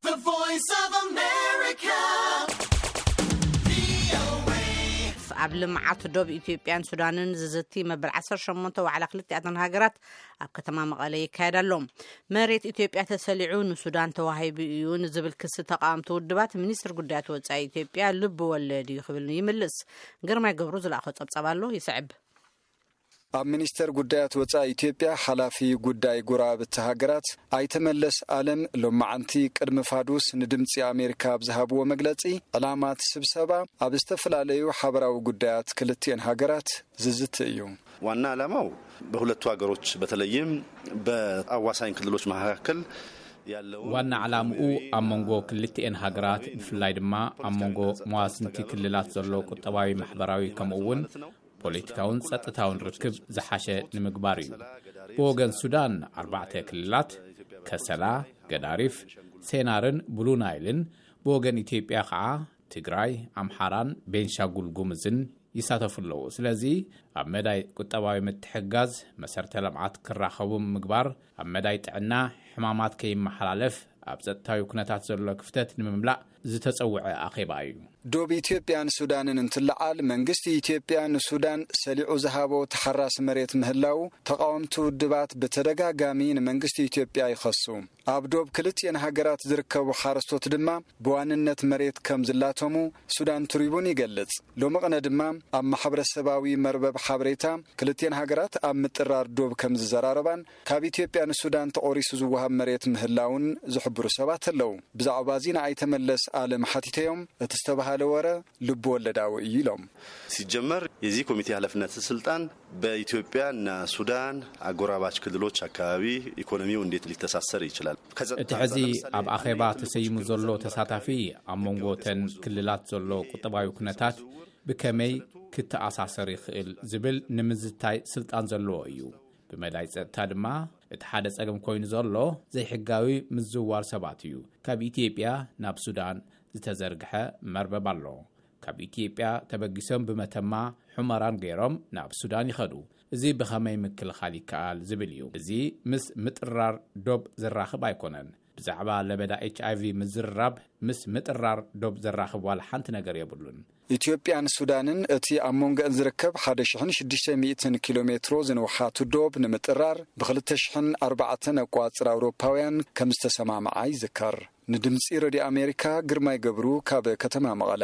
The Voice of America. ኣብ ልምዓት ዶብ ኢትዮጵያን ሱዳንን ዝዝቲ መበል ዓሰርተ ሸሞንተ ዋዕላ ክልቲኣተን ሃገራት ኣብ ከተማ መቐለ ይካየድ ኣሎ። መሬት ኢትዮጵያ ተሰሊዑ ንሱዳን ተዋሂቡ እዩ ንዝብል ክሲ ተቃወምቲ ውድባት፣ ሚኒስትር ጉዳያት ወጻኢ ኢትዮጵያ ልብ ወለድ እዩ ክብል ይምልስ። ግርማይ ገብሩ ዝለኣኾ ጸብጻብ ኣሎ፣ ይስዕብ። ኣብ ሚኒስቴር ጉዳያት ወጻኢ ኢትዮጵያ ሓላፊ ጉዳይ ጎረባብቲ ሃገራት ኣይተ መለስ ኣለም፣ ሎማዓንቲ ቅድሚ ፋዱስ ንድምፂ ኣሜሪካ ኣብ ዝሃብዎ መግለፂ፣ ዕላማ እቲ ስብሰባ ኣብ ዝተፈላለዩ ሓበራዊ ጉዳያት ክልቲኤን ሃገራት ዝዝቲ እዩ። ዋና ዓላማው በሁለቱ ሀገሮች በተለይም በአዋሳኝ ክልሎች መካከል ያለው ዋና ዓላምኡ ኣብ መንጎ ክልቲኤን ሃገራት፣ ብፍላይ ድማ ኣብ መንጎ መዋስንቲ ክልላት ዘሎ ቁጠባዊ፣ ማሕበራዊ ከምኡ እውን ፖለቲካውን ጸጥታውን ርክብ ዝሓሸ ንምግባር እዩ። ብወገን ሱዳን ኣርባዕተ ክልላት፣ ከሰላ፣ ገዳሪፍ፣ ሴናርን ብሉ ናይልን፣ ብወገን ኢትዮጵያ ከዓ ትግራይ፣ ኣምሓራን ቤንሻጉል ጉምዝን ይሳተፉ ኣለዉ። ስለዚ ኣብ መዳይ ቁጠባዊ ምትሕጋዝ፣ መሰርተ ልምዓት ክራኸቡ ምግባር፣ ኣብ መዳይ ጥዕና ሕማማት ከይመሓላለፍ፣ ኣብ ጸጥታዊ ኩነታት ዘሎ ክፍተት ንምምላእ ዝተጸውዐ ኣኼባ እዩ። ዶብ ኢትዮጵያን ሱዳንን እንትለዓል፣ መንግስቲ ኢትዮጵያ ንሱዳን ሰሊዑ ዝሃቦ ተሓራሲ መሬት ምህላው ተቃወምቲ ውድባት ብተደጋጋሚ ንመንግስቲ ኢትዮጵያ ይኸሱ። ኣብ ዶብ ክልቲኤን ሃገራት ዝርከቡ ሓረስቶት ድማ ብዋንነት መሬት ከም ዝላተሙ ሱዳን ትሪቡን ይገልጽ። ሎሚ ቅነ ድማ ኣብ ማሕበረሰባዊ መርበብ ሓበሬታ፣ ክልቲኤን ሃገራት ኣብ ምጥራር ዶብ ከም ዝዘራረባን ካብ ኢትዮጵያ ንሱዳን ተቖሪሱ ዝወሃብ መሬት ምህላውን ዝሕብሩ ሰባት ኣለዉ። ብዛዕባ እዚ ንኣይተ መለስ ኣለም ሓቲተዮም፣ እቲ ዝተባሃለ ወረ ልብ ወለዳዊ እዩ ኢሎም። ሲጀመር የዚህ ኮሚቴ ኃላፊነት ስልጣን በኢትዮጵያና ሱዳን አጎራባች ክልሎች አካባቢ ኢኮኖሚው እንዴት ሊተሳሰር ይችላል? እቲ ሕዚ ኣብ ኣኼባ ተሰይሙ ዘሎ ተሳታፊ፣ ኣብ መንጎ ተን ክልላት ዘሎ ቁጠባዊ ኩነታት ብከመይ ክተኣሳሰር ይኽእል ዝብል ንምዝታይ ስልጣን ዘለዎ እዩ። ብመዳይ ጸጥታ ድማ፣ እቲ ሓደ ጸገም ኮይኑ ዘሎ ዘይሕጋዊ ምዝውዋር ሰባት እዩ። ካብ ኢትዮጵያ ናብ ሱዳን ዝተዘርግሐ መርበብ ኣሎ። ካብ ኢትዮጵያ ተበጊሶም ብመተማ ሑመራን ገይሮም ናብ ሱዳን ይኸዱ። እዚ ብኸመይ ምክልኻል ይከኣል ዝብል እዩ። እዚ ምስ ምጥራር ዶብ ዘራኽብ ኣይኮነን። ብዛዕባ ለበዳ ኤች ኣይ ቪ ምዝርራብ ምስ ምጥራር ዶብ ዘራኽብ ዋላ ሓንቲ ነገር የብሉን። ኢትዮጵያን ሱዳንን እቲ ኣብ መንጎአን ዝርከብ ሓደ ሽሕን ሽዱሽተ ሚእትን ኪሎ ሜትሮ ዝንውሓቱ ዶብ ንምጥራር ብክልተ ሽሕን ኣርባዕተን ኣቋጽር ኣውሮፓውያን ከም ዝተሰማምዓ ይዝከር። ንድምጺ ረድዮ ኣሜሪካ ግርማይ ገብሩ ካብ ከተማ መቐለ።